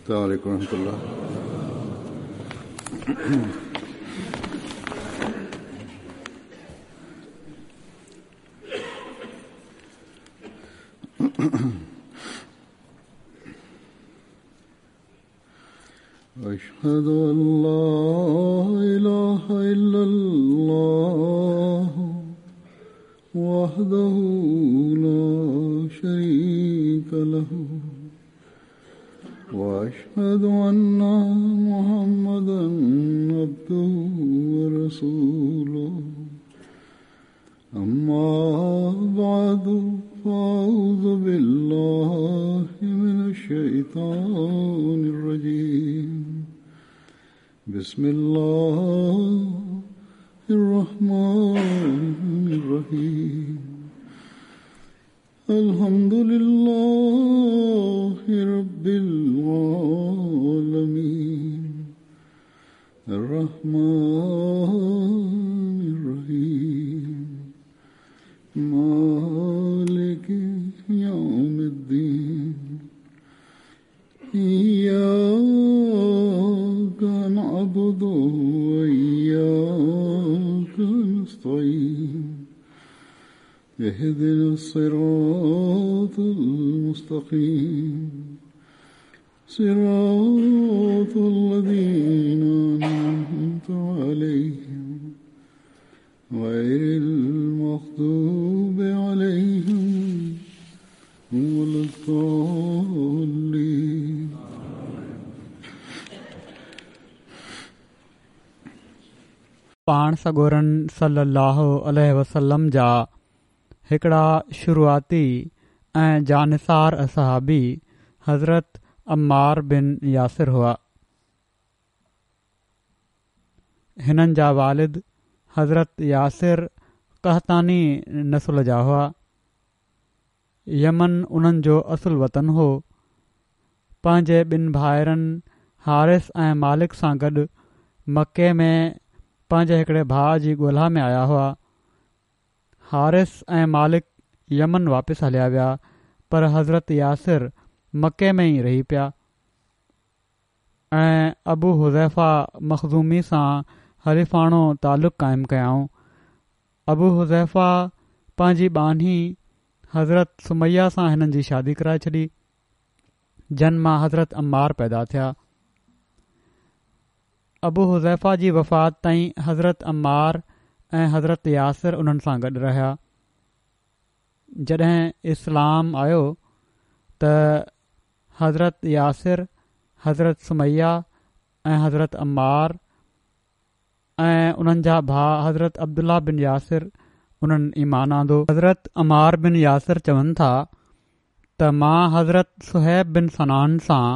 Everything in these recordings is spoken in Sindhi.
السلام عليڪم ورحمة الله. اشهد ان لا اله الا الله وحده لا شريك له واشهد ان محمدا عبده ورسوله اما بعد فاعوذ بالله من الشيطان الرجيم بسم الله الرحمن الرحيم الحمد لله رب العالمين الرحمن الرحيم مالك يوم الدين إياك نعبد وإياك نستعين اهدنا الصراط المستقيم صراط الذين أنعمت عليهم غير المغضوب عليهم ولا الضالين. پاڻ سڳورن صلّي اللّٰه عليه وسلّم جا هڪڙا شروعاتي ۽ جانثار اصحابي حضرت عمار بن ياسر هئا. هنن جا والد حضرت ياسر قحطاني نسل جا هئا. يمن انهن جو اصل وطن هو. پنهنجي ٻن ڀائرن حارث ۽ مالڪ سان گڏ مڪي ۾ پنهنجي هڪڙي ڀاء جي ڳولا ۾ آيا هئا. حارث ۽ مالڪ يمن واپس هليا ويا پر حضرت ياسر مڪي ۾ ئي رهي پيا ۽ ابو حذيفه مخزومي سان حليفاڻو تعلق قائم ڪيائون. ابو حذيفه پنهنجي ٻانهي حضرت سميه سان هنن جي شادي ڪرائي ڇڏي، جن مان حضرت عمار پيدا ٿيا. ابو حذيفه جي وفات تائين حضرت عمار ۽ حضرت ياسر انهن سان گڏ رهيا. جڏهن اسلام آيو ته حضرت ياسر، حضرت سميه ۽ حضرت عمار ۽ انهن جا ڀاء حضرت عبدالله بن ياسر انهن ايمان آندو. حضرت عمار بن ياسر چون ٿا ته مان حضرت صهيب بن سنان سان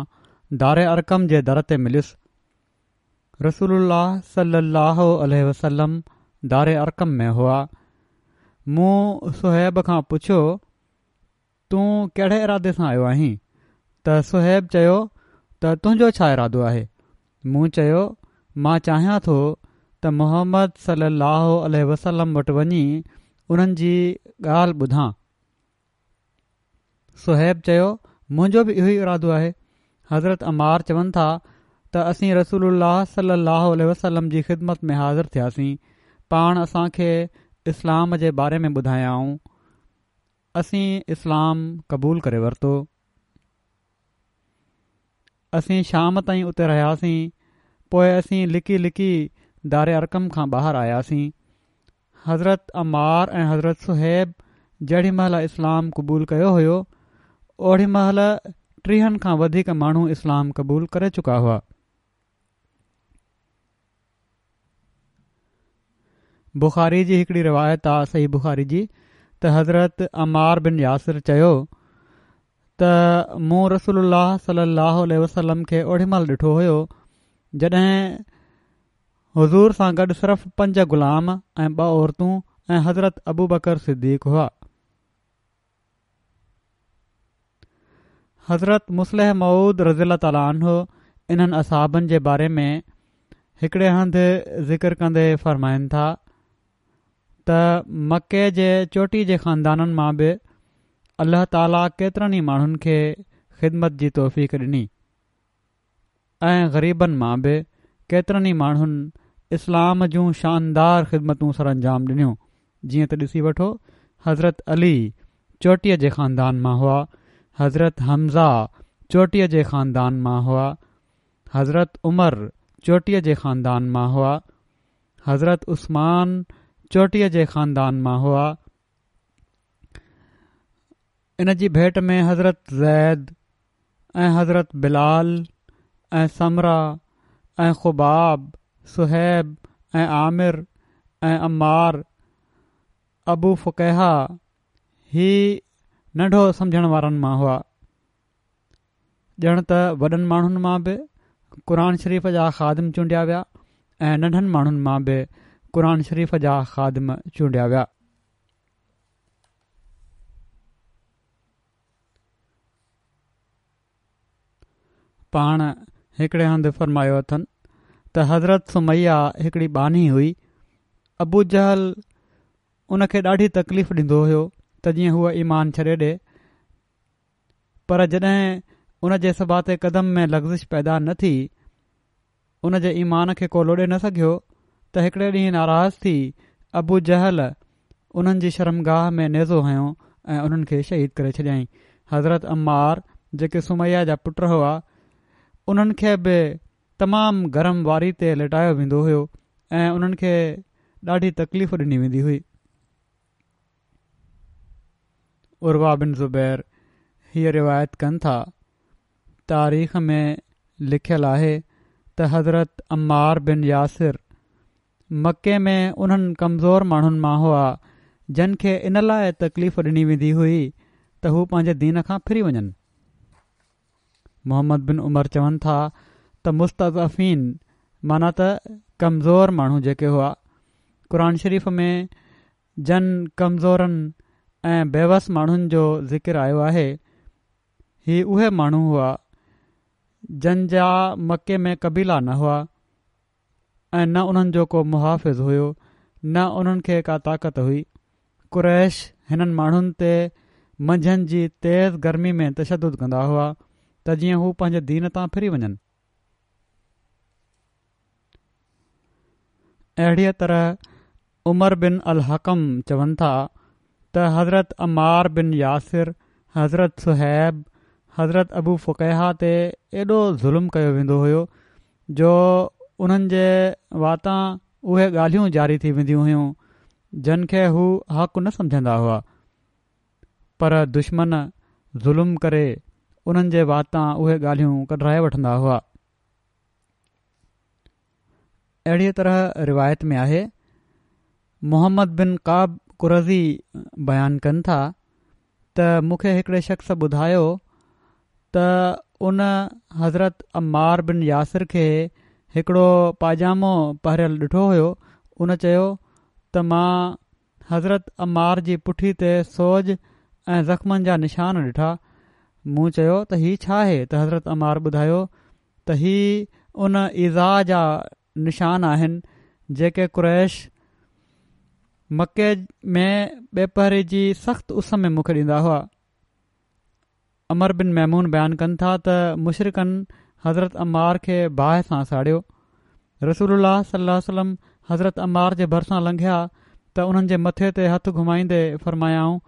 دار ارقم جي در تي مليس. رسول الله صلي الله عليه وسلم دار ارقم ۾ هئا. مون صهيب کان پڇيو تون ڪهڙي ارادي سان آيو آهين؟ ته صهيب چيو ته تنهنجو ڇا ارادو آهي؟ مون چيو مان چاهيان ٿو ته محمد صلي الله عليه وسلم وٽ وڃي انهن جي ڳالهه ٻڌان. صهيب چيو منهنجو به اهو ئي ارادو آهي. حضرت عمار چون ٿا ته اسين رسول الله صلي الله عليه وسلم جي خدمت ۾ حاضر ٿياسين. پاڻ اسان کي اسلام جي باري ۾ ٻڌايائون. اسين اسلام قبول ڪري ورتو. اسين شام تائين اتي رهياسين، پوء اسين لڪي لڪي دار ارقم کان ٻاهر آياسين. حضرت عمار ۽ حضرت صهيب جهڙي مهل اسلام قبول ڪيو هيو، اوڙي مهل ٽيهن کان وڌيڪ ماڻهو اسلام قبول ڪري چڪا هئا. بخاري جي هڪڙي روايت آ صحيح بخاري جي ته حضرت عمار بن ياسر چيو ته مون رسول الله صلي الله عليه وسلم کي اوڙي مهل ڏٺو هيو جڏهن حضور سان گڏ صرف پنج غلام ۽ ٻه عورتون ۽ حضرت ابوبڪر صديق هئا. حضرت مصلح موعود رضي الله تعالٰي عنه انهن اصحابن جي باري ۾ هڪڙي هنڌ ذڪر ڪندي فرمائن ٿا ته مڪي جي چوٽي جي خاندانن مان به الله تعاليٰ ڪيترن ئي ماڻهن کي خدمت جي توفيق ڏني. ۽ غريبن مان به ڪيترن ئي ماڻهن اسلام جون شاندار خدمتون سرانجام ڏنيون، جيئن ته ڏسي وٺو حضرت علي چوٽيء جي خاندان مان هئا، حضرت حمزه چوٽيء جي خاندان مان هئا، حضرت عمر چوٽيء جي خاندان مان هئا، حضرت عثمان چوٽيء جي خاندان مان هئا. ان جي ڀيٽ ۾ حضرت زيد ۽ حضرت بلال ۽ سمره ۽ خباب، صهيب ۽ عامر ۽ عمار، ابو فڪيهه هي ننڍو سمجهڻ وارن مان هئا. ڄڻ ته وڏن ماڻهن مان به قرآن شريف جا خادم چونڊيا ويا ۽ ننڍن ماڻهن مان به قرآن شريف جا خادم چونڊيا ويا. پاڻ هڪڙي هنڌ فرمايو اٿن ته حضرت سميه هڪڙي ٻانهي هئي، ابو جهل ان کي ڏاڍي تڪليف ڏيندو هيو ته جيئن هوء ايمان ڇڏي ڏي پر جڏهن ان جي ثبات قدم ۾ لغزش پيدا نه ٿي ان جي ايمان کي ڪو لوڏي نه سگهيو ته هڪڙي ڏينهن ناراض ٿي ابو جهل انهن جي شرمگاهه ۾ نيزو هنيو ۽ انهن کي شهيد ڪري ڇڏيائين. حضرت عمار جيڪي سميه جا پٽ هئا انهن کي به تمام گرم واري تي ليٽايو ويندو هيو ۽ انهن کي ڏاڍي تڪليف ڏني ويندي هئي. عروه بن زبير هيء روايت ڪن ٿا تاريخ ۾ لکيل آهي ته حضرت عمار بن ياسر مڪي ۾ انهن ڪمزور ماڻهن مان هئا جن کي ان لاء تڪليف ڏني ويندي هئي ته هو پنهنجي دين کان ڦري وڃن. محمد بن عمر چون ٿا ته مستضعفين معنيٰ ته ڪمزور ماڻهو جيڪي هئا قرآن شريف ۾ جن ڪمزورن ۽ بيوس ماڻهن جو ذڪر آيو آهي هي اهي ماڻهو هئا جن جا مڪي ۾ قبيلا نه هئا ۽ نه انهن جو ڪو محافظ هيو نه انهن کي ڪا طاقت هئي. قريش هنن ماڻهن تي منجهند جي تيز گرمي ۾ تشدد ڪندا هئا ته جيئن هو پنهنجي دين تان ڦري وڃن. اهڙيء طرح عمر بن الحڪم چون ٿا ته حضرت عمار بن ياسر، حضرت صهيب، حضرت ابو فڪيهه تي ايڏو ظلم ڪيو ويندو هيو جو انهن جي واتان اهي ڳالهيون جاري ٿي وينديون هيون جن کي هو حق نه سمجهندا هئا پر دشمن ظلم ڪري انهن جي واتان اهي ڳالهيون ڪڍرائي وٺندا هئا. اهڙيء طرح روايت ۾ آهي، محمد بن ڪعب قرظي بيان ڪن ٿا ته مون کي هڪڙي شخص ٻڌايو ته ان حضرت عمار بن ياسر کي هڪڙو پاجامو پهريل ڏٺو هيو، ان چيو ته مان حضرت عمار جي پٺي تي سوڄ ۽ زخمن جا نشان ڏٺا، مون چيو ته هي ڇا آهي ته حضرت عمار ٻڌايو ته هي ان ايذاء جا نشان آهن جيڪي قريش مڪي ۾ ٻيپهري جي سخت اس ۾ مون کي ڏيندا هئا. عمرو بن ميمون بيان ڪن ٿا ته مشرڪن حضرت عمار کي باهه سان ساڙيو. رسول الله صلي الله عليه وسلم حضرت عمار جي ڀرسان لنگهيا ته انهن جي مٿي تي هٿ گهمائيندي فرمايائون،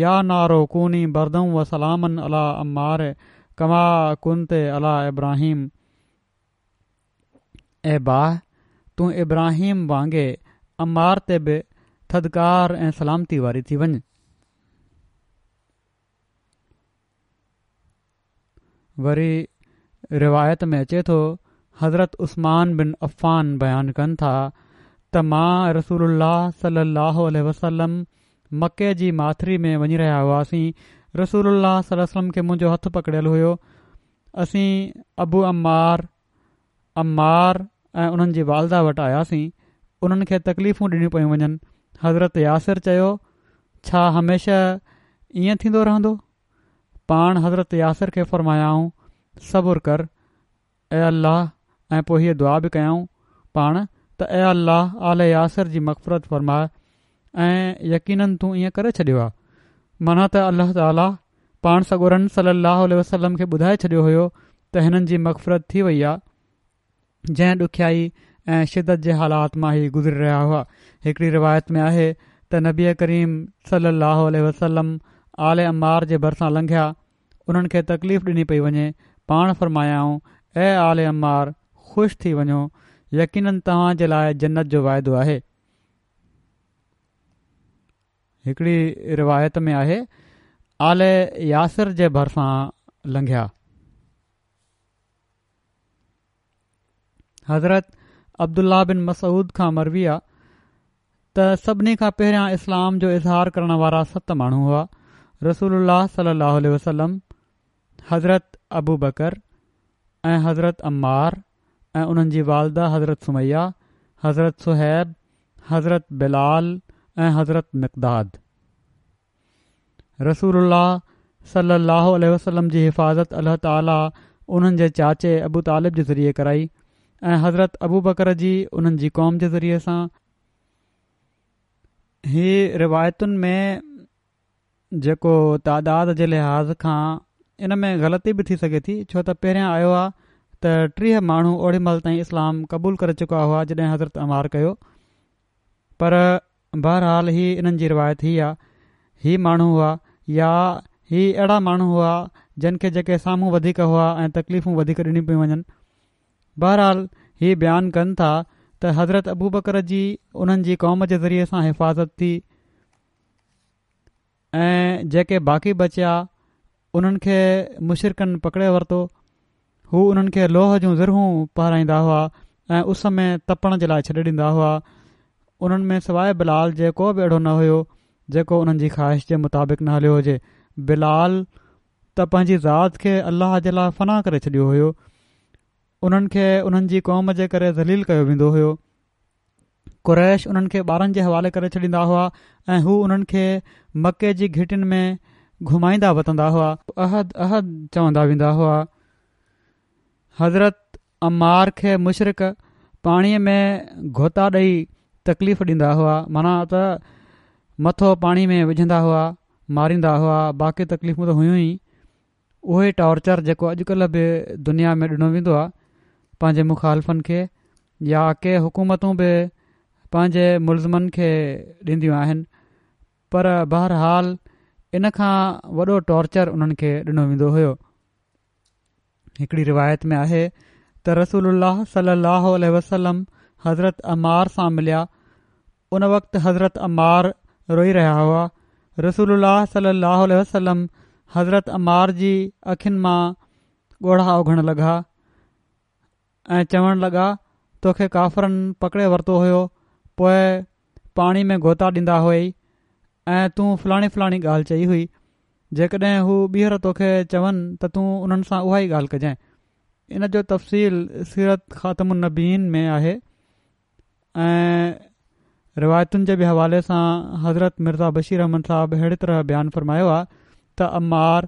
يا نار ڪوني بردا و سلاما علي عمار ڪما ڪنت علي ابراهيم اي باهه! تون ابراهيم وانگي عمار تي به ٿڌڪار ۽ سلامتي واري ٿي وڃ. وري روايت ۾ اچي ٿو حضرت عثمان بن عفان بيان ڪن ٿا ته مان رسول الله صلي الله عليه وسلم مڪي جي ماٿري ۾ وڃي رهيا هئاسين رسول الله صلي الله عليه وسلم کي منهنجو هٿ پڪڙيل هيو اسين ابو عمار عمار ۽ انهن جي والده وٽ آياسين انهن کي تڪليفون ڏنيون پيون وڃن حضرت ياسر چيو ڇا هميشه ائين ٿيندو رهندو پاڻ حضرت ياسر کي فرمايائون، صبر ڪر، اي الله ۽ پوء هيء دعا به ڪيائون پاڻ ته اي الله آل ياسر جي مغفرت فرماء ۽ يقيناً تون ائين ڪري ڇڏيو آهي معنيٰ ته الله تعاليٰ پاڻ سڳورن صلي الله عليه وسلم کي ٻڌائي ڇڏيو هيو ته هنن جي مغفرت ٿي وئي آهي. جنهن ڏکيائي ۽ شدت جي حالات مان هي گذري رهيا هئا. هڪڙي روايت ۾ آهي ته نبي ڪريم صلي الله عليه وسلم آل عمار جي ڀرسان لنگهيا، انهن کي تڪليف ڏني پئي وڃي، پاڻ فرمايائون، اي آل عمار! خوش ٿي وڃو، يقيناً توهان جي لاء جنت جو وعدو آهي. هڪڙي روايت ۾ آهي، آل ياسر جي ڀرسان لنگهيا. حضرت عبدالله بن مسعود کان مروي آ ته سڀني کان پهريان اسلام جو اظهار ڪرڻ وارا ست ماڻهو هئا رسول الله صلي الله عليه وسلم حضرت ابو بڪر ۽ حضرت عمار ۽ انهن جي والده حضرت سميه حضرت صهيب حضرت بلال ۽ حضرت مقداد رسول الله صلي الله عليه وسلم جي حفاظت الله تعالي انهن جي چاچي ابو طالب جي ذريعي ڪرائي ۽ حضرت ابوبڪر جي انهن جي قوم جي ذريعي سان. هي روايتن ۾ جيڪو تعداد جي لحاظ کان ان ۾ غلطي به ٿي سگهي ٿي ڇو ته پهريان آيو آهي ته 30 ماڻهو اوڏي مهل تائين اسلام قبول ڪري چڪا هئا جڏهن حضرت عمار ڪيو پر بهرحال هي انهن جي روايت هي آ، هي ماڻهو هئا يا هي اهڙا ماڻهو هئا جن کي جيڪي سامهون وڌيڪ هئا ۽ تڪليفون وڌيڪ ڏنيون پيون وڃن. بهرحال هي بيان ڪن ٿا ته حضرت ابوبڪر جي انهن جي قوم جي ذريعي سان حفاظت ٿي ۽ جيڪي باقي بچيا انهن کي مشرڪن پڪڙي ورتو. هو انهن کي لوهه جون زرهون پهرائيندا هئا ۽ اس ۾ تپڻ جي لاء ڇڏي ڏيندا هئا. انهن ۾ سواء بلال جي ڪو به اهڙو نه هيو جيڪو انهن جي خواهش جي مطابق نه هليو هجي. بلال ته پنهنجي ذات کي الله جي لاء فنا ڪري ڇڏيو هيو. انهن کي انهن جي قوم جي ڪري ذليل ڪيو ويندو هيو. قريش انهن کي ٻارن جي حوالي ڪري ڇڏيندا هئا ۽ هو انهن کي مڪي جي گهٽين ۾ گهمائيندا وتندا هئا. احد احد چوندا ويندا هئا. حضرت عمار کي مشرڪ پاڻي ۾ غوطا ڏئي تڪليف ڏيندا هئا معنيٰ ته مٿو پاڻي ۾ وجهندا هئا ماريندا هئا باقي تڪليفون ته هيون ئي. اهو ئي ٽارچر جيڪو اڄڪلهه به دنيا ۾ ڏنو ويندو آهي پنهنجي مخالفن کي يا ڪي حڪومتون به پنهنجي ملزمن کي ڏينديون آهن پر بهرحال ان کان وڏو ٽارچر انهن کي ڏنو ويندو هيو. هڪڙي روايت ۾ آهي ته رسول الله صلي الله عليه وسلم حضرت عمار سان مليا ان وقت حضرت عمار روئي رهيا هئا. رسول الله صلي الله عليه وسلم حضرت عمار جي اکين مان ڳوڙها اگهڻ لڳا ۽ چوڻ لڳا توکي ڪافرن پڪڙي ورتو هيو پوء پاڻي ۾ غوطا ڏيندا هئئي ۽ تون فلاڻي فلاڻي ڳالهه چئي هئي جيڪڏهن هو ٻيهر توکي چون ته تون انهن سان اها ئي ڳالهه ڪجانء ان جو تفصيل سيرت خاتم النبيين ۾ آهي ۽ روايتن جي به حوالي سان حضرت مرزا بشير احمد صاحب اهڙي طرح بيان فرمايو آهي ته عمار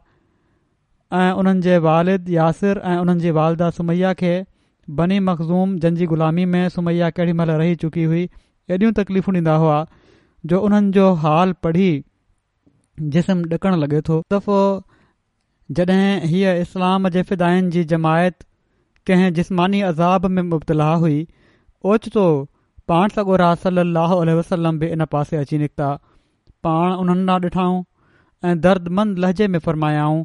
۽ انهن جي والد ياسر ۽ انهن جي والده سميه کي بني مخزوم جن جي غلامي ۾ سميه ڪهڙي مهل رهي چڪي هئي ايڏيون تڪليفون ڏيندا هئا جو انهن جو حال پڙهي جسم ڏڪڻ لڳي ٿو. دفعو جڏهن هيء اسلام جي فدائين جي جماعت ڪنهن جسماني عذاب ۾ مبتلا هئي، اوچتو پاڻ سڳورا صلّي اللّٰه عليه وسلّم به ان پاسي اچي نڪتا. پاڻ انهن ڏانهن ڏٺائون ۽ دردمند لهجي ۾ فرمايائون،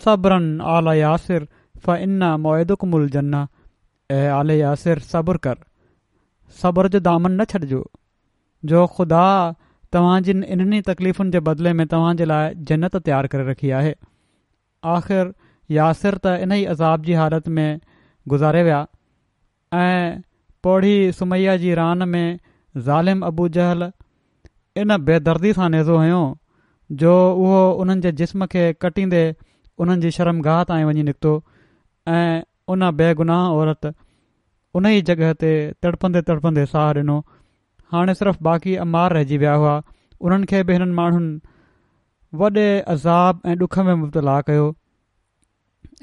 صبراً آل ياسر فإن موعدڪم الجنّة اي آل ياسر صبر ڪر، صبر جو دامن نه ڇڏجو. جو خدا توهان جن انهن ئي تڪليفن جي بدلي ۾ توهان جي لاء جنت تيار ڪري رکي آهي. آخر ياسر ته انهي عذاب جي حالت ۾ گذاري ويا ۽ پوڙهي سميه جي ران ۾ ظالم ابو جهل ان بي دردي سان نيزو هنيو جو اهو انهن جي جسم کي ڪٽيندي انهن جي شرمگاهه تائين وڃي نڪتو ۽ ان بيگناهه عورت انهيء جڳهه تي تڙپندي تڙپندي ساهه ڏنو. هاڻي صرف باقي عمار رهجي ويا هئا. انهن کي به هنن ماڻهن وڏي عذاب ۽ ڏک ۾ مبتلا ڪيو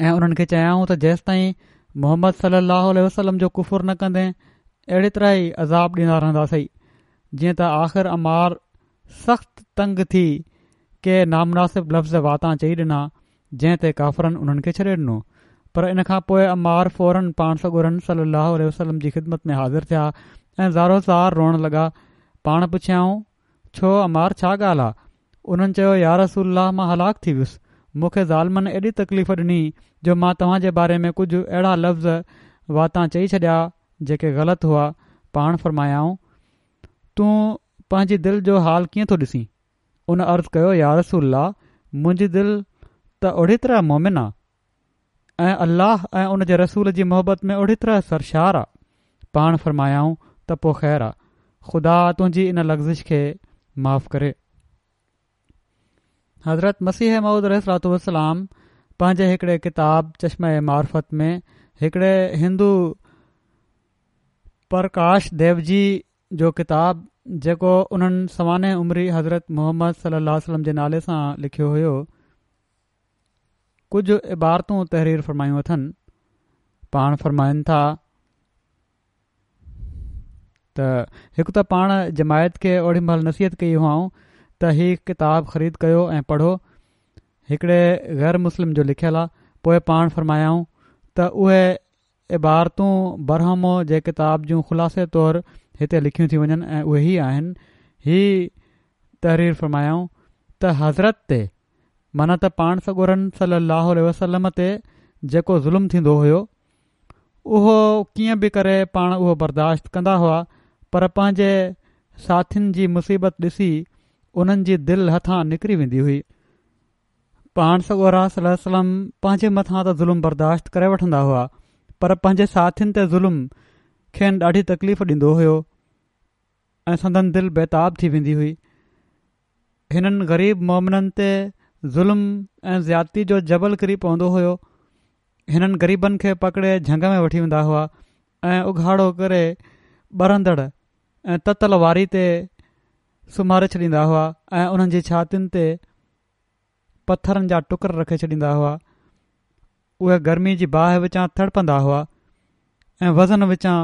۽ انهن کي چيائون ته جيستائين محمد صلي الله عليه وسلم جو ڪفر نه ڪندين اهڙي طرح ئي عذاب ڏيندا رهنداسين. جيئن ته آخر عمار سخت تنگ ٿي ڪي نامناسب لفظ واتان چئي ڏنا جنهن تي ڪافرن انهن کي ڇڏي ڏنو. پر ان کان پوء عمار فوراً پاڻ سڳورن صلّي اللّٰه عليه وسلّم جي خدمت ۾ حاضر ٿيا ۽ زارو زار روئڻ لڳا. پاڻ پڇيائون، ڇو عمار ڇا ڳالهه آ؟ انهن چيو، يا رسول الله مان هلاڪ ٿي ويس. مون کي ظالمن ايڏي تڪليف ڏني جو مان توهان جي باري ۾ ڪجهه اهڙا لفظ واتان چئي ڇڏيا جيڪي غلط هئا. پاڻ فرمايائون، تون پنهنجي دل جو حال ڪيئن ٿو ڏسين؟ ان عرض ڪيو، يا رسول الله! منهنجي دل ته اهڙي طرح مؤمن آ ۽ الله ۽ ان جي رسول جي محبت ۾ اهڙي طرح سرشار آ. پاڻ فرمايائون ته پوء خير آ، خدا تنهنجي ان لغزش کي معاف ڪري. حضرت مسيح موعود عليه الصلوة والسلام پنهنجي هڪڙي ڪتاب چشمه معرفت ۾ هڪڙي هندو پرڪاش ديوجي جو ڪتاب جيڪو انهن سوانح عمري حضرت محمد صلي الله عليه وسلم جي نالي سان لکيو هيو ڪجهه عبارتون تحرير فرمايون اٿن پاڻ فرمائن ٿا ته هڪ ته پاڻ جماعت کي اوڏي مهل نصيحت ڪئي هئائون ته هي ڪتاب خريد ڪيو ۽ پڙهو هڪڙي غير مسلم جو لکيل آ پوء پاڻ فرمايائون ته اهي عبارتون برهمو جي ڪتاب جون خلاصي طور هتي لکيون ٿيون وڃن ۽ اهي هي آهن، هي تحرير فرمايائون ته حضرت تي معنيٰ ته پاڻ سڳورن صلّي اللّٰه عليه وسلّم تي جيڪو ظلم ٿيندو هيو اهو ڪيئن به ڪري پاڻ اهو برداشت ڪندا هئا پر پنهنجي ساٿين جي مصيبت ڏسي انهن جي دل هٿان نڪري ويندي هئي. پاڻ سڳورا صلي الله عليه وسلم پنهنجي مٿان ته ظلم برداشت ڪري وٺندا هئا پر پنهنجي ساٿين تي ظلم کين ڏاڍي تڪليف ڏيندو هيو ۽ سندن دل بيتاب ٿي ويندي هئي هنن غريب مومنن تي ظلم ۽ زيادتي جو جبل ڪري پوندو هيو هنن غريبن کي پڪڙي جهنگ ۾ وٺي ويندا هئا ۽ اگهاڙو ڪري ٻرندڙ ۽ تتل واري تي سمهاري ڇڏيندا هئا ۽ انهن جي ڇاتين تي پٿرن جا ٽڪر رکي ڇڏيندا هئا. اهي گرمي جي باهه وچان تڙپندا هئا ۽ وزن وچان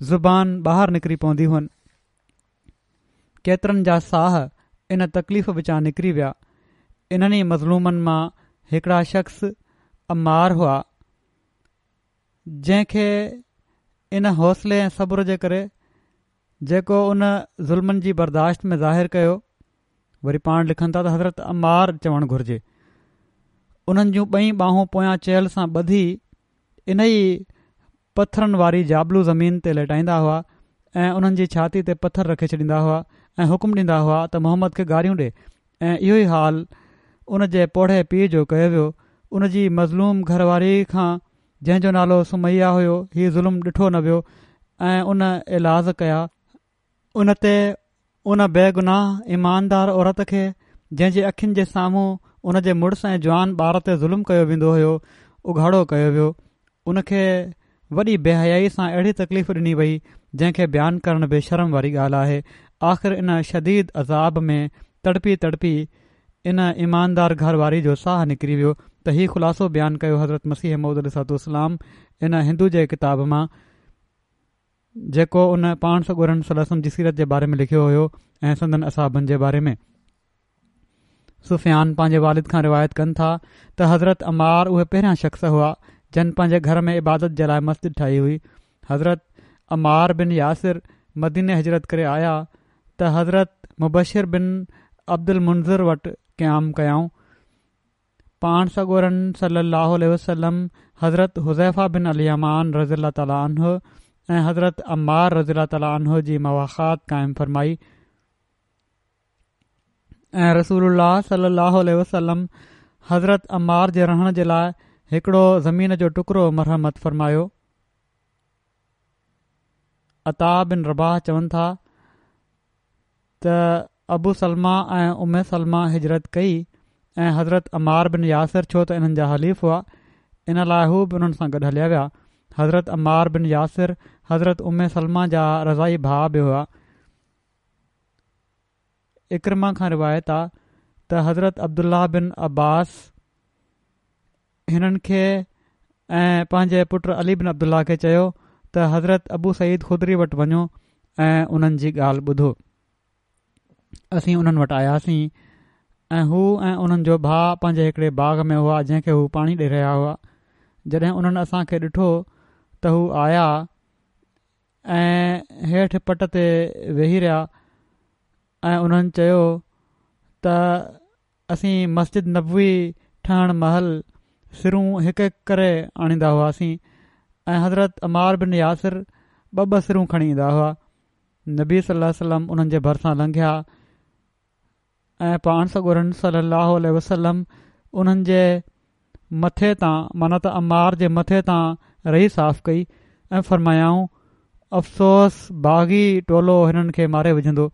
زبان ٻاهر نڪري پوندي هئن. ڪيترن جا ساهه ان تڪليف وچان نڪري ويا. انهن ئي مظلومن مان هڪڙا شخص عمار هئا، جنهن کي ان حوصلي ۽ صبر جي ڪري جيڪو ان ظلمن جي برداشت ۾ ظاهر ڪيو، وري پاڻ لکن ٿا ته حضرت عمار چوڻ گهرجي. انهن جون ٻئي ٻانهون پويان چيلهه سان ٻڌي انهي پٿرن واري جابلو زمين تي ليٽائيندا هئا ۽ انهن جي ڇاتي تي پٿر رکي ڇڏيندا هئا ۽ حڪم ڏيندا هئا ته محمد کي گاريون ڏي ۽ اهو ئي حال ان جي پوڙهي پيء جو ڪيو ويو ان جي مظلوم گهر واري کان جنهن جو نالو سميه هيو هي ظلم ڏٺو نه ويو ۽ ان ايلاز ڪيا ان تي ان بيگناهه ايماندار عورت کي جنهن جي اکين جي سامهون ان جي مڙس ۽ جوان ٻار تي ظلم ڪيو ويندو هيو اگهاڙو ڪيو ويو ان کي وڏي بي حيائي سان اهڙي تڪليف ڏني وئي جنهن کي بيان ڪرڻ به شرم واري ڳالهه آهي آخر ان شديد عذاب ۾ تڙپي تڙپي ان ايماندار گهر واري جو ساهه نڪري ويو ته هي خلاصو بيان ڪيو حضرت مسيح موعود عليه الصلوة والسلام ان هندو جي ڪتاب مان جيڪو ان پاڻ سڳورن صلي الله عليه وسلم جي سيرت جي باري ۾ لکيو هيو ۽ سندن اصحابن جي باري ۾. سفيان پنهنجي والد کان روايت ڪن ٿا ته حضرت عمار اهي پهريان شخص هئا جن پنهنجي گهر ۾ عبادت جي لاء مسجد ٺاهي هئي. حضرت عمار بن ياسر مديني هجرت ڪري آيا ته حضرت مبشر بن عبدالمنذر وٽ قيام ڪيائون. پاڻ سڳورن صلّي اللّٰه عليه وسلّم حضرت حذيفه بن اليمان رضي الله تعالٰي عنه ۽ حضرت عمار رضي الله تعالٰي عنه جي مواخات قائم فرمائي ۽ رسول الله صلّي اللّٰه عليه وسلّم حضرت عمار جي رهڻ جي لاء هڪڙو زمين جو ٽڪرو مرحمت فرمايو. عطاء بن رباح چون ٿا ته ابو سلمه ۽ ام سلمه هجرت ڪئي ۽ حضرت عمار بن ياسر ڇو ته انهن جا حليف هئا ان لاء هو به انهن سان گڏ هليا ويا. حضرت عمار بن ياسر حضرت ام سلمه جا رضاعي ڀاء به هئا. عڪرمه کان روايت آ ته حضرت عبدالله بن عباس هنن کي ۽ پنهنجي پٽ علي بن عبدالله کي چيو ته حضرت ابو سعيد خدري وٽ وڃو ۽ انهن جي ڳالهه ٻڌو. اسين انهن وٽ آياسين ۽ هو ۽ انهن جو ڀاء پنهنجي هڪڙي باغ ۾ هئا جنهن کي هو پاڻي ڏئي رهيا هئا. جڏهن انهن اسان کي ڏٺو ته هو آيا ۽ هيٺ پٽ تي ويهي رهيا ۽ انهن چيو ته اسين مسجد نبوي ٺهڻ مهل سرون هڪ هڪ ڪري آڻيندا هئاسين ۽ حضرت عمار بن ياسر ٻه ٻه سرون کڻي ايندا هئا. نبي صلي الله عليه وسلم انهن جي ڀرسان لنگهيا ۽ پاڻ سڳورن صلي الله عليه وسلم انهن جي مٿي تان معنيٰ ته عمار جي مٿي تان رئي صاف ڪئي ۽ فرمايائون افسوس باغي ٽولو هنن کي ماري وجهندو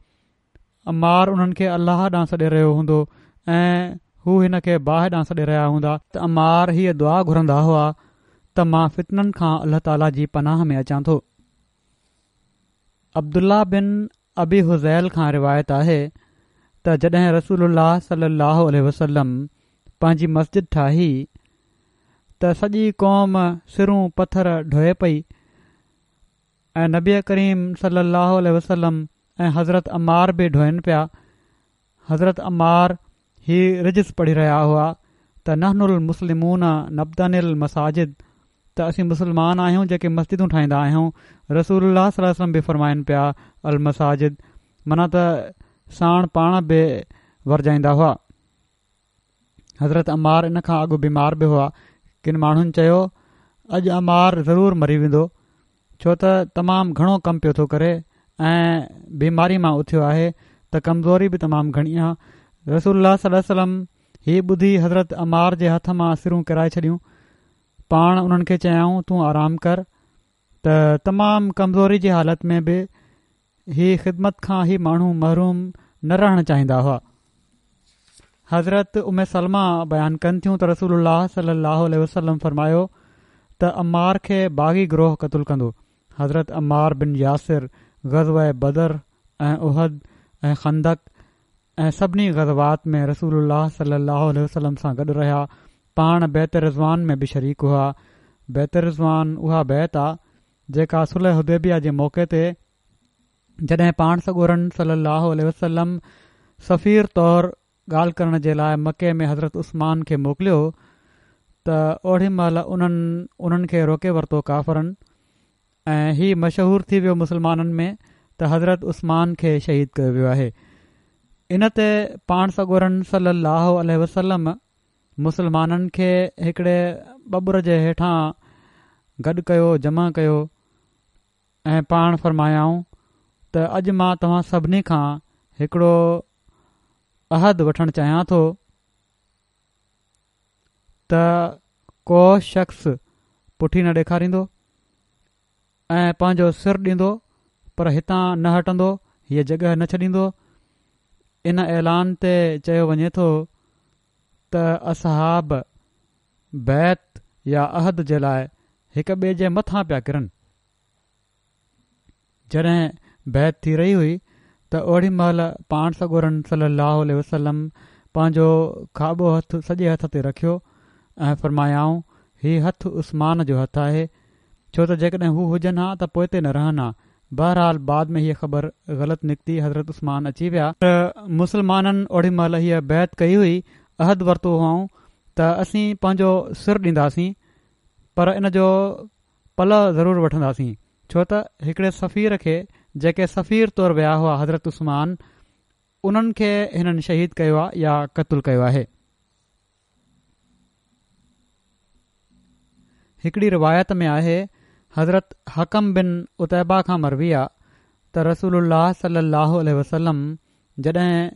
عمار انهن کي الله ڏانهن سڏي رهيو هوندو ۽ هو هن کي باهه ڏانهن سڏي رهيا هوندا. ته عمار هيء دعا گهرندا هئا ته مان فتنن کان الله تعاليٰ جي پناهه ۾ اچان ٿو. عبدالله بن ابي هذيل کان روايت آهي ته جڏهن رسول الله صلي الله عليه وسلم پنهنجي مسجد ٺاهي ته سڄي قوم سرون پٿر ڍوئي پئي ۽ نبي ڪريم صلي الله عليه وسلم ۽ حضرت عمار به ڍوئن پيا حضرت عمار هي رجز پڙهي رهيا هئا ته نحن المسلمون نبتني المساجد ته اسين مسلمان آهيون جيڪي مسجدون ٺاهيندا آهيون رسول الله صلي الله عليه وسلم به فرمائن پيا المساجد معنيٰ ته ساڻ پاڻ به ورجائيندا هئا. حضرت عمار ان کان اڳ بيمار به هئا. ڪن ماڻهن چيو، اڄ عمار ضرور مري ويندو، ڇو ته تمام گهڻو ڪم پيو ٿو ڪري ۽ بيماري مان اٿيو آهي ته ڪمزوري به تمام گهڻي آ. رسول الله صلي الله عليه وسلم هي ٻڌي حضرت عمار جي هٿ مان سرون ڪيرائي ڇڏيون. پاڻ انهن کي چيائون، تون آرام ڪر ته تمام ڪمزوري جي حالت ۾ به هي خدمت کان هي ماڻهو محروم نه رهڻ چاهيندا هئا. حضرت ام سلمه بيان ڪن ٿيون ته رسول الله صلي الله عليه وسلم فرمايو ته عمار کي باغي گروهه قتل ڪندو. حضرت عمار بن ياسر غزوه بدر ۽ احد ۽ خندق ۽ سڀني غزوات ۾ رسول الله صلي الله عليه وسلم سان گڏ رهيا. پاڻ بيعت رضوان ۾ به شريڪ هئا. بيعت رضوان اها بيعت آ جيڪا صلح حديبيه جي موقعي تي جڏهن پاڻ سڳورن صلي الله عليه وسلم سفير طور ڳالهه ڪرڻ جي لاء مڪي ۾ حضرت عثمان کي موڪليو ته اوڏي مهل انهن انهن کي روڪي ورتو ڪافرن ۽ هي مشهور ٿي ويو مسلمانن ۾ ته حضرت عثمان کي شهيد ڪيو ويو آهي ان تي پاڻ سڳورن صلي الله عليه وسلم مسلمانن کي هڪڙي ٻٻر جي هيٺان گڏ ڪيو، جمع ڪيو، ۽ پاڻ فرمايائون ته اڄ مان توهان سڀني کان هڪڙو عهد وٺڻ چاهيان ٿو ته ڪو شخص پٺي نه ڏيکاريندو ۽ پنهنجو سر ڏيندو پر هتان نه هٽندو، هيء جڳهه نه ڇڏيندو. ان اعلان تي چيو وڃي ٿو ته اصحاب بيعت يا عهد جي لاء هڪ ٻئي جي مٿان پيا ڪرن. جڏهن بيعت ٿي رهي هئي ته اوڏي مهل پاڻ سڳورن صلّي اللّٰه عليه وسلّم پنهنجو کاٻو هٿ سڄي هٿ تي رکيو ۽ فرمايائون، هي هٿ عثمان جو هٿ آهي، ڇو ته جيڪڏهن هو هجن ها ته پوئتي نه رهن ها. بهرحال بعد ۾ هيء خبر غلط نڪتي، حضرت عثمان اچي ويا. پر مسلمانن اوڏي مهل هيء بيعت ڪئي هئي، عهد ورتو هئائون ته اسين پنهنجو سر ڏينداسين، پر ان جو پلئه ضرور وٺنداسين، ڇو ته هڪڙي سفير کي، جيڪي سفير طور ويا هئا حضرت عثمان، انهن کي هنن شهيد ڪيو آهي يا قتل ڪيو آهي. هڪڙي روايت ۾ آهي، حضرت حڪم بن عتيبه کان مروي آ ته رسول الله صلي الله عليه وسلم جڏهن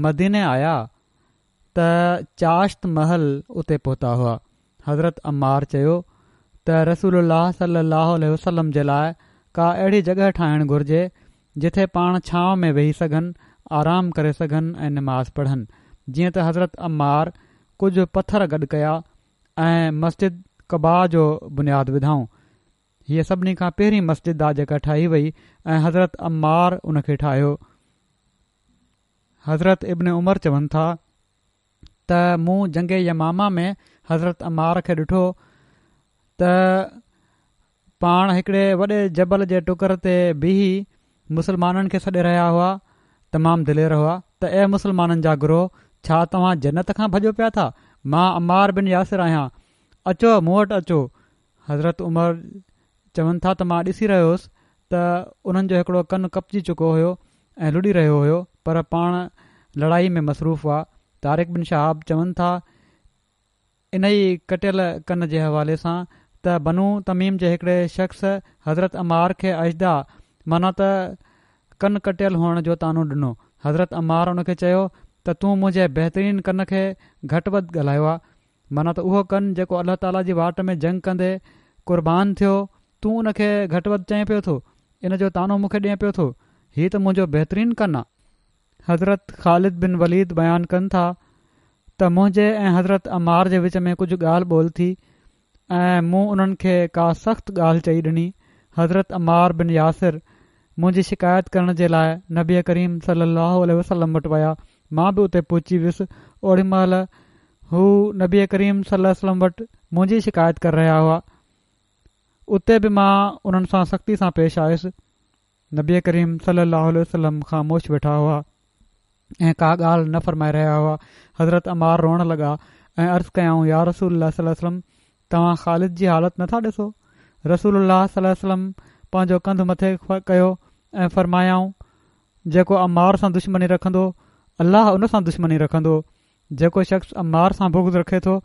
مديني آيا ته چاشت مهل اتي پهتا هئا. حضرت عمار چيو ته رسول الله صلي الله عليه وسلم جي لاء ڪا اهڙي جڳهه ٺاهڻ گهرجي جتي پاڻ ڇانو ۾ ويهي سگهن، آرام ڪري سگهن ۽ نماز پڙهن. جيئن ته حضرت عمار ڪجهه پٿر گڏ ڪيا ۽ مسجد قباء جو بنياد وڌائون. هيء سڀني کان پهرين مسجد آ جيڪا ٺاهي وئي ۽ حضرت عمار ان کي ٺاهيو. حضرت ابن عمر چون ٿا ته مون جنگ يمامه ۾ حضرت عمار کي ڏٺو ته پاڻ هڪڙي وڏي جبل جي ٽڪر تي بيهي مسلمانن کي سڏي رهيا هئا، تمام دلير هئا ته اي مسلمانن جا گروهه! ڇا توهان جنت کان ڀڄو پيا ٿا؟ مان عمار بن ياسر آهيان، اچو مون وٽ اچو. حضرت عمر چون ٿا ته مان ڏسي رهيو هوس ته انهن جو هڪڙو ڪن ڪپجي چڪو هيو ۽ لڏي رهيو هيو پر پاڻ لڙائي ۾ مصروف هئا. طارق بن شهاب چون ٿا انهي ڪٽيل ڪن جي حوالي سان ته بنو تميم جي هڪڙي شخص حضرت عمار کي اجدع معنيٰ ته ڪن ڪٽيل هئڻ جو طعنو ڏنو. حضرت عمار ان کي چيو ته تون منهنجي بهترين ڪن کي گهٽ وڌ ڳالهايو آ. معنيٰ ته اهو ڪن جيڪو الله تعاليٰ جي واٽ ۾ جنگ ڪندي قربان ٿيو، تون ان کي گهٽ وڌ چئين پيو ٿو، ان جو طعنو مون کي ڏئين پيو ٿو، هي ته منهنجو بهترين ڪن آ. حضرت خالد بن وليد بيان ڪن ٿا ته منهنجي ۽ حضرت عمار جي وچ ۾ ڪجهه ڳالهه ٻولهه ٿي ۽ مون انهن کي ڪا سخت ڳالهه چئي ڏني، حضرت عمار بن ياسر منهنجي شڪايت ڪرڻ جي لاء نبي ڪريم صلي الله عليه وسلم وٽ ويا، مان به اتي پهچي ويس، اوڏي مهل هو نبي ڪريم صلي الله عليه وسلم وٽ منهنجي شڪايت ڪري رهيا هئا، اتي به مان انهن سان سختي سان پيش آيس، نبي ڪريم صلي الله عليه وسلم خاموش ويٺا هئا ۽ ڪا ڳالهه نه فرمائي رهيا هئا، حضرت عمار روئڻ لڳا ۽ عرض ڪيائون يا رسول الله صلي الله عليه وسلم توهان خالد جي حالت نه ٿا ڏسو؟ رسول الله صلي الله عليه وسلم پنهنجو ڪنڌ مٿي ڪيو ۽ فرمايائون، جيڪو عمار سان دشمني رکندو، الله ان سان دشمني رکندو. جيڪو شخص عمار سان بغض رکي ٿو،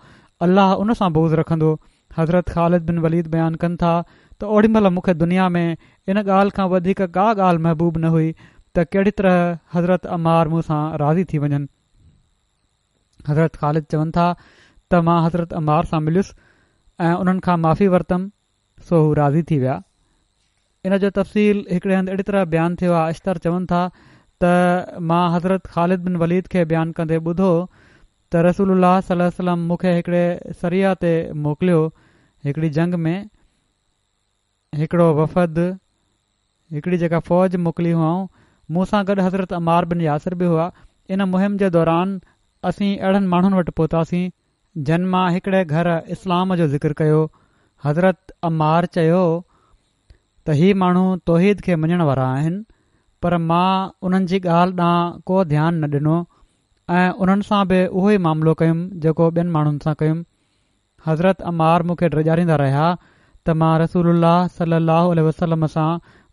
الله ان سان بغض رکندو. حضرت خالد بن وليد بيان ڪن ٿا ته اوڏي مهل مون کي دنيا ۾ ان ڳالهه کان وڌيڪ ڪا ڳالهه محبوب نه هئي ته ڪهڙي طرح حضرت عمار مون سان راضي ٿي وڃن. حضرت خالد چون ٿا ته مان حضرت عمار سان مليس ۽ انهن کان معافي ورتم سو هو راضي ٿي ويا. ان جو تفصيل هڪڙي هنڌ اهڙي طرح بيان ٿيو آهي اشتر چون ٿا ته مان حضرت خالد بن وليد کي بيان ڪندي ٻڌو ته رسول الله صلي الله عليه وسلم مون کي هڪڙي سريه تي موڪليو هڪڙي جنگ ۾ هڪڙو وفد، هڪڙي جيڪا فوج موڪلي هئائون، مون سان گڏ حضرت عمار بن ياسر به هئا، ان مهم جي دوران اسين اهڙن ماڻهن وٽ پهتاسين، جن مان هڪڙي گهر اسلام جو ذڪر ڪيو، حضرت عمار چيو ته هي ماڻهو توحيد کي مڃڻ وارا آهن، پر مان انهن جي ڳالهه ڏانهن ڪو ڌيان نه ڏنو ۽ انهن سان به اهو ئي معاملو ڪيم جيڪو ٻين ماڻهن سان ڪيم. حضرت عمار مون کي ڊيڄاريندا رهيا ته مان رسول الله صلي الله عليه وسلم سان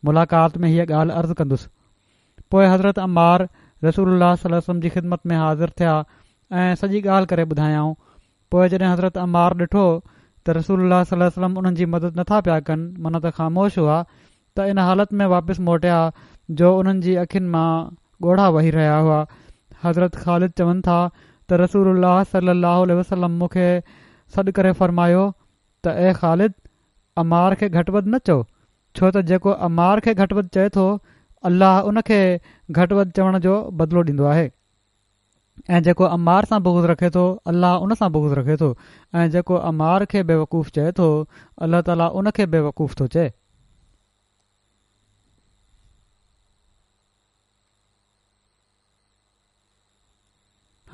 ملاقات ۾ هيء ڳالهه عرض ڪندس. پوء حضرت عمار رسول الله صلي الله عليه وسلم جي خدمت ۾ حاضر ٿيا ۽ سڄي ڳالهه ڪري ٻڌايائون. پوء جڏهن حضرت عمار ڏٺو ته رسول الله صلي الله عليه وسلم انهن جي مدد نٿا پيا ڪن معنيٰ ته خاموش هئا ته ان حالت ۾ واپس موٽيا جو انهن جي اکين مان ڳوڙها وهي رهيا هئا. حضرت خالد چون ٿا ته رسول الله صلي الله عليه وسلم مون کي سڏ ڪري فرمايو ته اي خالد! عمار کي گهٽ وڌ نه چئو، ڇو ته جيڪو عمار کي گهٽ وڌ چئي ٿو، الله ان کي گهٽ وڌ چوڻ جو بدلو ڏيندو آهي. ۽ جيڪو عمار سان بغض رکي ٿو الله ان سان بغض رکي ٿو ۽ جيڪو عمار کي بيوقوف چئي ٿو الله تعالي ان کي بيوقوف ٿو چئي.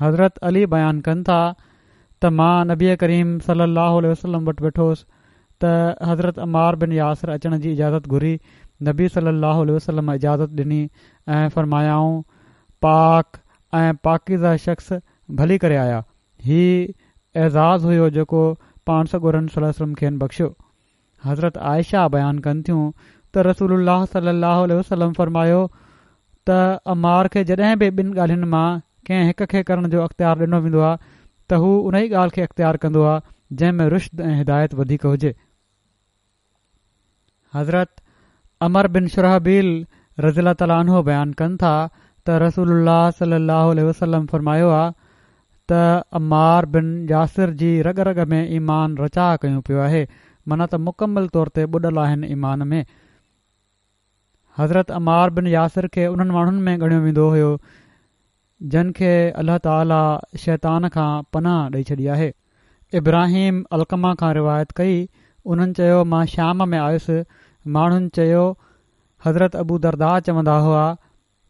حضرت علي بيان ڪن ٿا ته مان نبي ڪريم صلي الله عليه وسلم وٽ ويٺو هوس ته حضرت عمار بن ياسر اچڻ جي اجازت گهري نبي صلي الله عليه وسلم اجازت ڏني ۽ فرمايائون پاڪ ۽ پاڪيزه شخص ڀلي ڪري آيا. هي اعزاز هيو جيڪو پاڻ سڳورن صلي الله عليه وسلم کين بخشيو. حضرت عائشه بيان ڪن ٿيون ته رسول الله صلي الله عليه وسلم فرمايو ته عمار کي جڏهن به ٻن ڳالهين مان ڪنهن هڪ کي ڪرڻ جو اختيار ڏنو ويندو آهي ته هو انهي ڳالهه کي اختيار ڪندو آهي جنهن ۾ رشد ۽ هدايت وڌيڪ هجي. حضرت عمرو بن شرحبيل رضي الله تعالٰي عنه بيان ڪن ٿا ته رسول الله صلي الله عليه وسلم فرمايو آ ته عمار بن ياسر جي رڳ رڳ ۾ ايمان رچاء ڪيون پيو آهي معنيٰ ته مڪمل طور تي ٻڏل آهن ايمان ۾. حضرت عمار بن ياسر کي انهن ماڻهن ۾ ڳڻيو ويندو هيو جن کي الله تعالي شيطان کان پناهه ڏئي ڇڏي آهي. ابراهيم علقمه کان روايت ڪئي، انهن چيو مان شام ۾ آيس، ماڻهن چيو حضرت ابو درداء چوندا هئا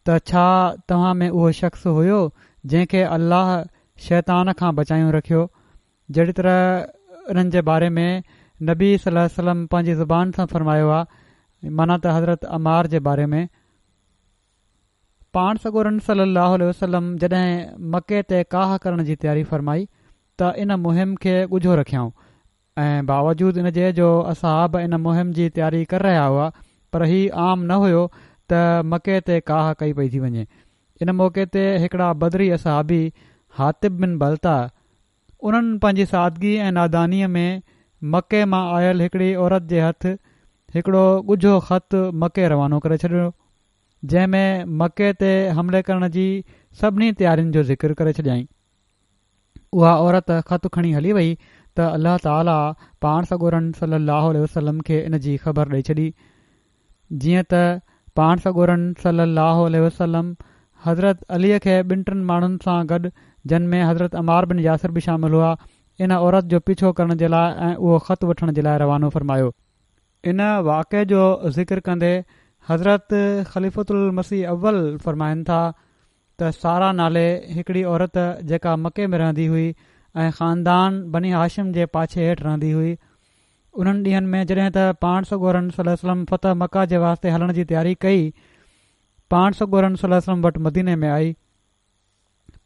ته ڇا توهان ۾ اهو شخص هيو جنهن کي الله شيطان کان بچايون رکيو جهڙي طرح انهن جي باري ۾ نبي صلي الله عليه وسلم پنهنجي زبان سان فرمايو آهي معنيٰ ته حضرت عمار جي باري ۾. پاڻ سڳورن صلي الله عليه وسلم جڏهن مڪي تي ڪاهه ڪرڻ جي تياري فرمائي ته ان مهم کي ڳجهو رکيائون. ۽ باوجود ان جي جو اصحاب ان مهم جي تياري ڪري رهيا هئا پر هي عام نه هيو ته مڪي تي ڪاهه ڪئي پئي ٿي وڃي. ان موقعي تي هڪڙا بدري اصحابي حاطب بن بلتعه انهن پنهنجي سادگي ۽ نادانيء ۾ مڪي مان آيل هڪڙي عورت جي هٿ هڪڙو ڳجهو خط مڪي روانو ڪري ڇڏيو جنهن ۾ مڪي تي حملي ڪرڻ جي سڀني تيارين جو ذڪر ڪري ڇڏيائين. اها عورت خط کڻي هلي وئي ته الله تعاليٰ پاڻ سڳورن صلّي اللّٰه عليه وسلّم کي ان جي خبر ڏئي ڇڏي. جيئن ته پاڻ سڳورن صلّي اللّٰه عليه وسلّم حضرت علي کي ٻن ٽن ماڻهن سان گڏ جن ۾ حضرت عمار بن ياسر به شامل هئا ان عورت جو پيڇو ڪرڻ جي لاء ۽ اهو خط وٺڻ جي لاء روانو فرمايو. ان واقعي جو ذڪر ڪندي حضرت خليفة المسيح اول فرمائن ٿا ته ساره نالي هڪڙي عورت جيڪا مڪي ۾ رهندي هئي ۽ خاندان بني هاشم جي پاڇي هيٺ رهندي هئي انهن ڏينهن ۾ جڏهن ته پاڻ سڳورن صلي الله عليه وسلم فتح مڪه جي واسطي هلڻ جي تياري ڪئي پاڻ سڳورن صلي الله عليه وسلم وٽ مديني ۾ آئي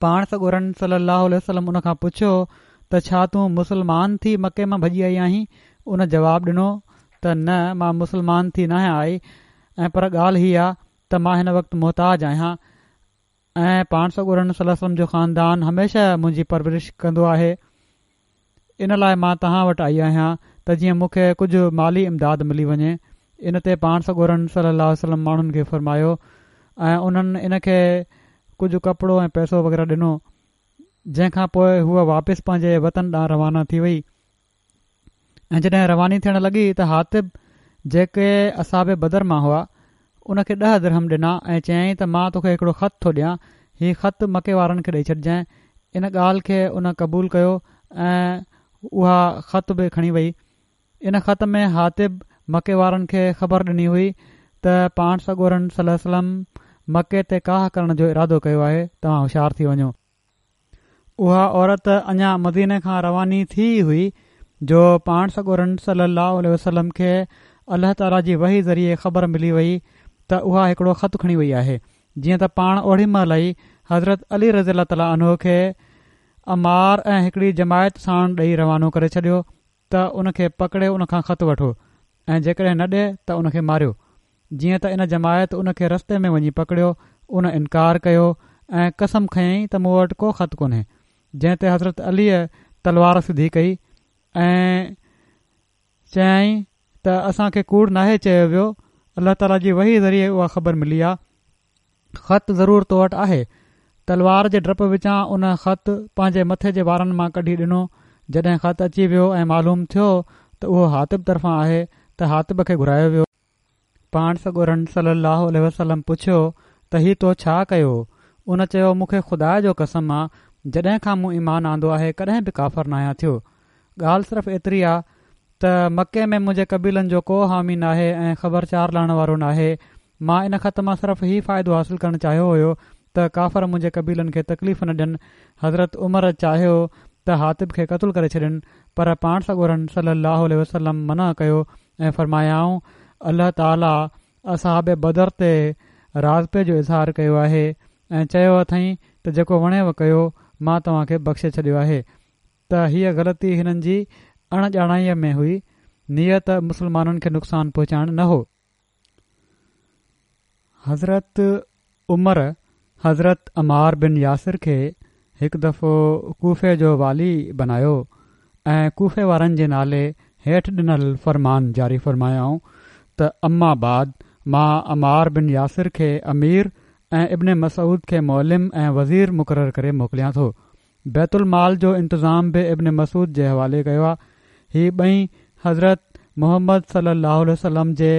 پاڻ سڳورن صلي الله عليه وسلم ان کان پڇيو ته ڇا تون مسلمان ٿي مڪي مان ڀڄي آئي آهين ان جواب ڏنو ته نه مان مسلمان ٿي ناهيان آئي ۽ پر ڳالهه هي آ ته مان هن وقت محتاج آهيان ۽ پاڻ سڳورن صلي الله عليه وسلم جو خاندان هميشه منهنجي پرورش ڪندو آهي ان لاء مان توهان وٽ آئي آهيان ته جيئن مون کي ڪجهه مالي امداد ملي وڃي ان تي پاڻ سڳورن صلي الله عليه وسلم ماڻهن کي فرمايو ۽ انهن ان کي ڪجهه ڪپڙو ۽ پئسو وغيره ڏنو جنهن کان پوء هوء واپس پنهنجي وطن ڏانهن روانا ٿي وئي ۽ جڏهن رواني ٿيڻ لڳي ته حاطب جيڪي اصحاب بدر مان هئا ان کي ڏهه درهم ڏنا ۽ چيائين ته مان توکي هڪڙو خط ٿو ڏيان هي خط مڪي وارن کي ڏئي ڇڏجانء ان ڳالهه کي ان قبول ڪيو ۽ اها خط به کڻي وئي ان خط ۾ حاطب مڪي وارن کي خبر ڏني هئي ته پاڻ سڳورن صلي الله عليه وسلم مڪي تي ڪاهه ڪرڻ جو ارادو ڪيو آهي توهان هوشيار ٿي وڃو. اها عورت اڃا مديني کان رواني ٿي ئي هئي جو پاڻ سڳورن صلّي اللّٰه عليه وسلّم کي الله تعاليٰ جي وحي ذريعي خبر ملي وئي ته اها هڪڙو خط کڻي وئي آهي جيئن ته پاڻ اوڙي مهل ئي حضرت علي رضي الله تعاليٰ عنه کي عمار ۽ هڪڙي جماعت ساڻ ڏئي روانو ڪري ڇڏيو ته ان کي پڪڙي ان کان خط وٺو ۽ جيڪڏهن نه ڏي ته ان کي ماريو. جيئن ته ان جماعت ان کي رستي ۾ وڃي پڪڙيو، ان انڪار ڪيو ۽ قسم کنيائين ته مون وٽ ڪو خط ڪونهي. جنهن تي حضرت عليء تلوار سڌي ڪئي ۽ چيائين ته اسان کي ڪوڙ ناهي چيو ويو، الله تعاليٰ جي وحي ذريعي اها خبر ملي آ. خط ضرور تو وٽ آهي. تلوار جي ڊپ وچان ان خط پنهنجي مٿي جي وارن مان ڪڍي ڏنو. جڏهن خط اچي ويو ۽ معلوم ٿيو ته اهو حاطب طرفان آهي ته حاطب کي گهرايو ويو. پاڻ سڳورن صلّي اللّٰه عليه وسلّم پڇيو ته هي تو ڇا ڪيو؟ ان چيو مون کي خدا جو قسم آ جڏهن کان مون ايمان آندو آهي ڪڏهن به ڪافر ناهيان ٿيو. ڳالهه صرف ايتري آ ته مڪي ۾ منهنجي قبيلن جو ڪو حامي ناهي ۽ خبرچار لهڻ وارو ناهي مان ان خط مان صرف هي فائدو حاصل ڪرڻ چاهيو هيو ته ڪافر منهنجي قبيلن کي تڪليف نه ڏين. حضرت عمر چاهيو ته حاطب کي قتل ڪري ڇڏين پر پاڻ سڳورن صلّي اللّٰه عليه وسلّم منع ڪيو ۽ فرمايائون، الله تعاليٰ اصحاب بدر تي راضپي جو اظهار ڪيو آهي ۽ چيو اٿئين ته جيڪو وڻيو ڪيو مان توهان کي بخشي ڇڏيو آهي ته هيء غلطي هنن جي اڻ ڄاڻائيء ۾ هئي، نيت مسلمانن کي نقصان پهچائڻ نه هو. حضرت عمر حضرت عمار بن ياسر کي هڪ دفعو ڪوفي جو والي بنايو ۽ ڪوفي وارن جي نالي هيٺ ڏنل فرمان جاري فرمايائون ته اما بعد مان عمار بن ياسر کي امير ۽ ابن مسعود کي معلم ۽ وزير مقرر ڪري موڪليان ٿو بيت المال جو انتظام به ابن مسعود جي حوالي ڪيو آ. هي ٻئي حضرت محمد صلي الله عليه وسلم جي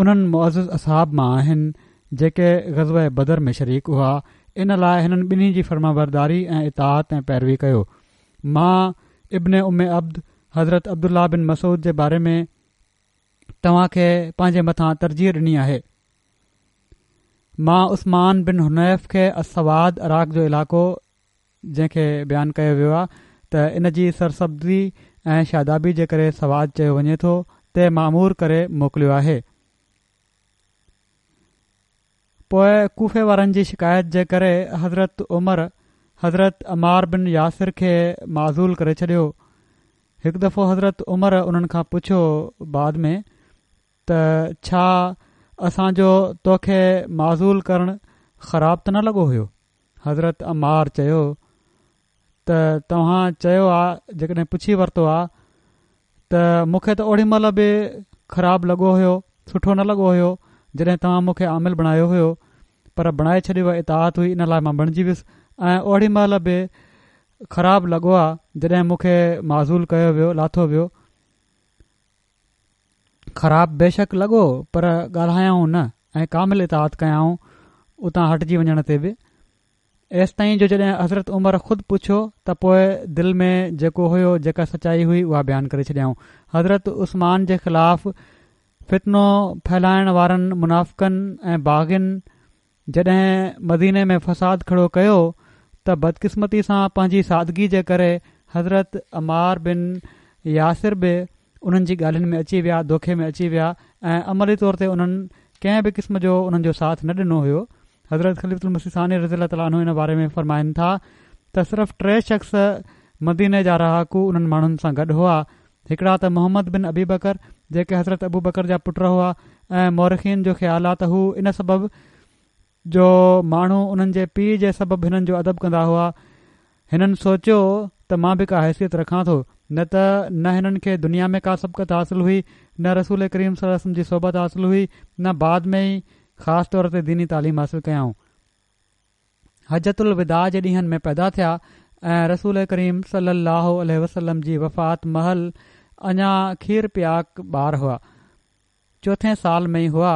انهن معزز اصحاب مان آهن جيڪي غزوه بدر ۾ شريڪ هئا ان لاء هنن ٻنهي جي فرمانبرداري ۽ اطاعت ۽ پيروي ڪيو. مان ابن ام عبد حضرت عبدالله بن مسعود جي باري ۾ توهان کي پنهنجي مٿان ترجيح ڏني آهي. مان عثمان بن حنيف کي السواد عراق جو علائقو جنهن کي بيان ڪيو ويو آهي ته ان جي سرسبزي ۽ شادابي جي ڪري سواد چيو وڃي ٿو تي مامور ڪري موڪليو آهي. پوء ڪوفي وارن جي شڪايت جي ڪري حضرت عمر حضرت عمار بن ياسر کي معزول ڪري ڇڏيو. هڪ دفعو حضرت عمر انهن کان پڇيو بعد ۾ ته ڇا اسان جو توکي معزول ڪرڻ خراب ته نه لڳو هيو؟ حضرت عمار چيو ته توهان چيو آ جيڪڏهن پڇي ورتو آ ته مون کي ته اوڏي مهل به خراب لڳو هيو سٺو نه لڳو هيو جڏهن توهان مون کي عامل بڻايو هيو پر بڻائي ڇڏيو اطاعت هئي ان لاء مان بڻجي ويس ۽ اوڏي مهل به خراب لڳو آ جڏهن مون کي معزول ڪيو ويو لاٿو ويو خراب بيشڪ لڳو پر ڳالهايائون نه ۽ ڪامل اطاعت ڪيائون اتان هٽجي وڃڻ تي به ايستائين جو جڏهن حضرت عمر خود پڇيو ته پوء دل ۾ جيڪو هيو جيڪا سچائي هئي اها بيان ڪري ڇڏيائون. حضرت عثمان جي خلاف فتنو ڦهلائڻ وارن منافقن ۽ باغين جڏهن مديني ۾ فساد کڙو ڪيو ته بدقسمتي سان پنهنجي سادگي جي ڪري حضرت عمار بن ياسر به انهن جي ڳالهين ۾ اچي ويا، دوکي ۾ اچي ويا ۽ عملي طور تي انهن ڪنهن به قسم جو انهن جو ساٿ نه ڏنو هيو. حضرت خليفة المسيح ثاني رضي الله تعالٰي عنه ان باري ۾ فرمائن ٿا ته صرف ٽي شخص مديني جا رهاڪو انهن ماڻهن سان گڏ هئا، هڪڙا ته محمد بن ابي بڪر جيڪي حضرت ابوبڪر جا پٽ هئا ۽ مورخين جو خيال آ ته هو ان سبب جو ماڻهو انهن جي پيء جي سبب هنن جو ادب ڪندا هئا هنن سوچيو ته مان به ڪا حيثيت رکان ٿو، نه ته نه هنن کي دنيا ۾ ڪا سبقت حاصل هئي، نه رسول ڪريم صلي الله عليه وسلم جي صحبت حاصل هئي، نه بعد ۾ ئي خاص طور تي ديني تعليم حاصل ڪيائون. حجة الوداع جي ڏينهن ۾ پيدا ٿيا ۽ رسول ڪريم صلي الله عليه وسلم جي وفات مهل اڃا کير پياڪ ٻار هئا. چوٿين سال ۾ ئي هئا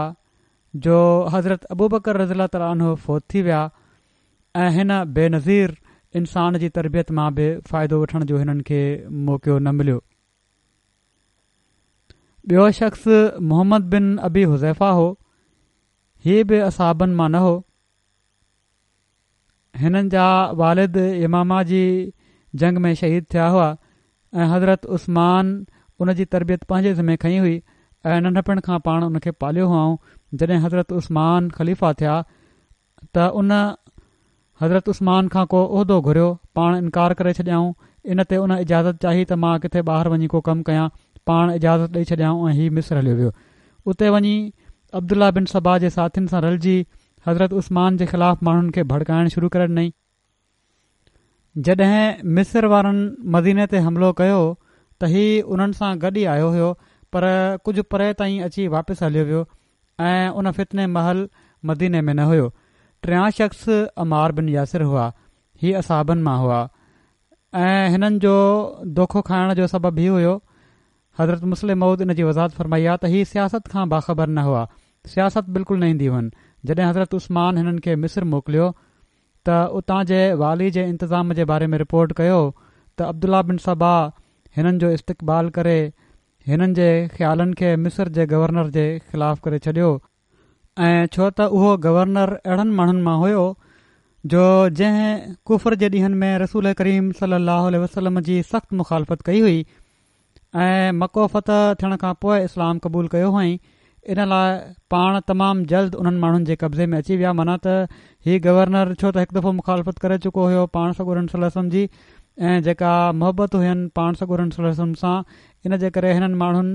جو حضرت ابوبڪر رضي الله تعالٰي عنه فوت ٿي ويا ۽ هن بي نظير انسان جي تربيت مان به فائدو وٺڻ جو هنن کي موقعو نه مليو. ٻيو شخص محمد بن ابي حذيفه هو، هي به اصحابن مان نه هو. هنن جا والد يمامه جي جنگ ۾ شهيد ٿيا هئا ۽ حضرت عثمان ان جي تربيت پنهنجي ذمي کنئي هئي ۽ ننڍپڻ کان پاڻ ان کي پاليو هئائون جڏهن حضرت عثمان خليفا ٿيا ته ان حضرت عثمان کان ڪو عهدو گهريو پاڻ انڪار ڪري ڇڏيائون ان تي ان اجازت چاهي ته مان ڪٿي ٻاهر وڃي ڪو ڪم ڪيان پاڻ اجازت ڏئي ڇڏيائون ۽ هي مصر هليو ويو اتي وڃي عبدالله بن سبا جي ساٿين سان رلجي حضرت عثمان جي خلاف ماڻهن کي ڀڙڪائڻ شروع ڪري ڏنائين. جڏهن مصر وارن مديني تي حملو ڪيو ته هي انهن سان گڏ ئي آيو هيو پر ڪجهه پري تائين اچي واپس هليو ويو ۽ ان فتني مهل مديني ۾ نه هيو. ٽيان شخص عمار بن ياسر هئا. هي اصحابن مان هئا ۽ هنن جو دوکو کائڻ جو سبب هي هيو حضرت مصلح موعود ان جي وضاحت فرمائي آ ته هي سياست کان باخبر نه هئا، سياست بلڪل نه ايندي هئن، جڏهن حضرت عثمان هنن کي مصر موڪليو ته اتان جي والي جي انتظام جي باري ۾ رپورٽ ڪيو ته عبدالله بن سبا هنن جو استقبال ڪري هنن جي خيالن کي مصر جي گورنر جي خلاف ڪري ڇڏيو ۽ ڇو ته اهو گورنر اهڙن ماڻهن مان هيو جو جنهن ڪفر جي ڏينهن ۾ رسول ڪريم صلي الله عليه وسلم جي سخت مخالفت ڪئي هئي ۽ مڪو فتح ٿيڻ کان پوء اسلام قبول ڪيو هئائين ان لاء پاڻ تمام جلد انهن ماڻهن جي قبضي ۾ اچي ويا معنيٰ ته هي گورنر ڇو ته هڪ دفعو مخالفت ڪري چڪو هيو پاڻ سڳورن صلي الله عليه وسلم جي ۽ جيڪا محبت هين پاڻ سڳورن صلي الله عليه وسلم سان ان جي ڪري هنن ماڻهن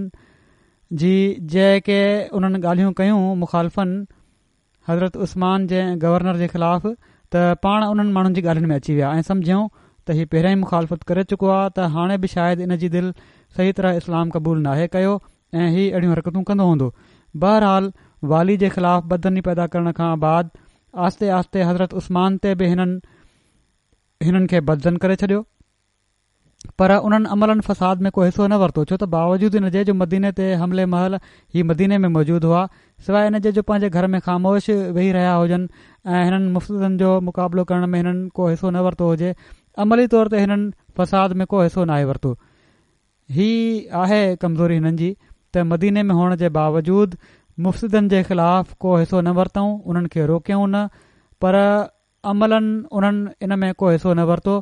جي جيڪي انهن ڳالهيون ڪيون مخالفن حضرت عثمان جي ۽ گورنر جي خلاف ته پاڻ انهن ماڻهن جي ڳالهين ۾ اچي ويا ۽ سمجهيائون ته هي پهريان ئي مخالفت ڪري چڪو آهي ته هاڻي به شايد ان جي دل صحيح طرح اسلام قبول ناهي ڪيو ۽ هي اهڙيون حرڪتون ڪندو هوندو بهرحال والي جي خلاف بدظني پيدا ڪرڻ کان بعد آهستي آهستي حضرت عثمان تي به هنن هنن کي بدظن ڪري ڇڏيو. پر انهن عملاً فساد ۾ ڪو حصو نه ورتو ڇو ته باوجود ان جي جو مديني تي حملي مهل هي مديني ۾ موجود هئا سواء ان جي جو پنهنجي گهر ۾ خاموش ويهي رهيا هجن ۽ هنن مفسدن جو مقابلو ڪرڻ ۾ هنن ڪو حصو نه ورتو هجي عملي طور تي هنن فساد ۾ ڪو حصو ناهي ورتو هي آهي ڪمزوري هنن جي ته مديني ۾ هئڻ جي باوجود مفسدن جي خلاف ڪو حصو نه ورتائون انهن کي روڪيائون نه پر عملاً انهن ان ۾ ڪو حصو نه ورتو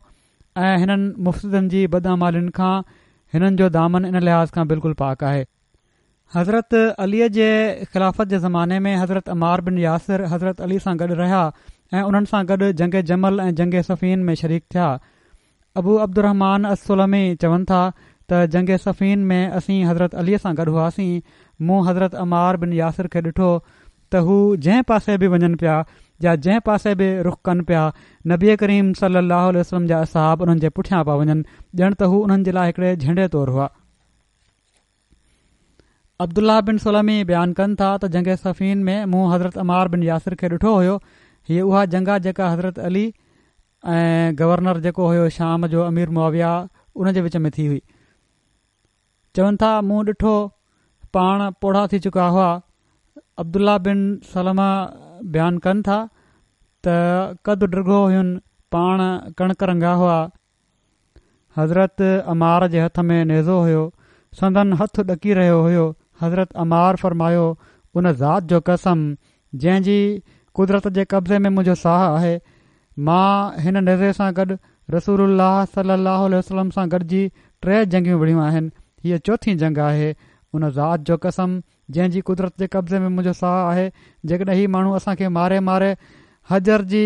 ۽ هنن مفسدن جي بداعمالين کان هنن جو دامن ان لحاظ کان بلڪل پاڪ آهي. حضرت علي جي خلافت جي زماني ۾ حضرت عمار بن ياسر حضرت علي سان گڏ رهيا ۽ انهن سان گڏ جنگ جمل ۽ جنگ صفين ۾ شريڪ ٿيا. ابو عبدالرحمان السلمي چون ٿا ته جنگ صفين ۾ اسين حضرت علي سان گڏ هئاسين، مون حضرت عمار بن ياسر کي ڏٺو ته هو جنهن پاسي به وڃن پيا يا جنهن پاسي به رخ ڪن پيا، نبي ڪريم صلي الله عليه وسلم جا اصحاب انهن جي پٺيان پيا وڃن، ڄڻ ته هو انهن جي لاء هڪڙي جهنڊي طور هئا. عبدالله بن سلمي بيان ڪن ٿا ته جنگ صفين ۾ مون حضرت عمار بن ياسر کي ڏٺو هيو، هيء اها جنگ آ جيڪا حضرت علي ۽ گورنر جيڪو هيو شام جو امير معاويه ان جي وچ ۾ ٿي هئي. چون ٿا مون ڏٺو پاڻ پوڙها ٿي چڪا هئا. عبدالله بن سلمه بيان ڪن ٿا ته قد ڊگهو هين پاڻ ڪڻڪ رنگا هئا. حضرت عمار جي هٿ ۾ نيزو هيو، سندن هٿ ڏڪي رهيو هيو، حضرت عمار فرمايو، ان ذات جو قسم جنهن جي قدرت جي قبضي ۾ منهنجو ساهه آهي، مان هن نيزي سان گڏ رسول الله صلي الله عليه وسلم سان گڏجي ٽي جنگيون وڙهيون آهن، هيء چوٿين جنگ آهي، ان ذات جو قسم جنهن جي قدرت جي قبضي ۾ منهنجو ساهه آهي، جيڪڏهن هي ماڻهو اسان کي ماري ماري حجر جي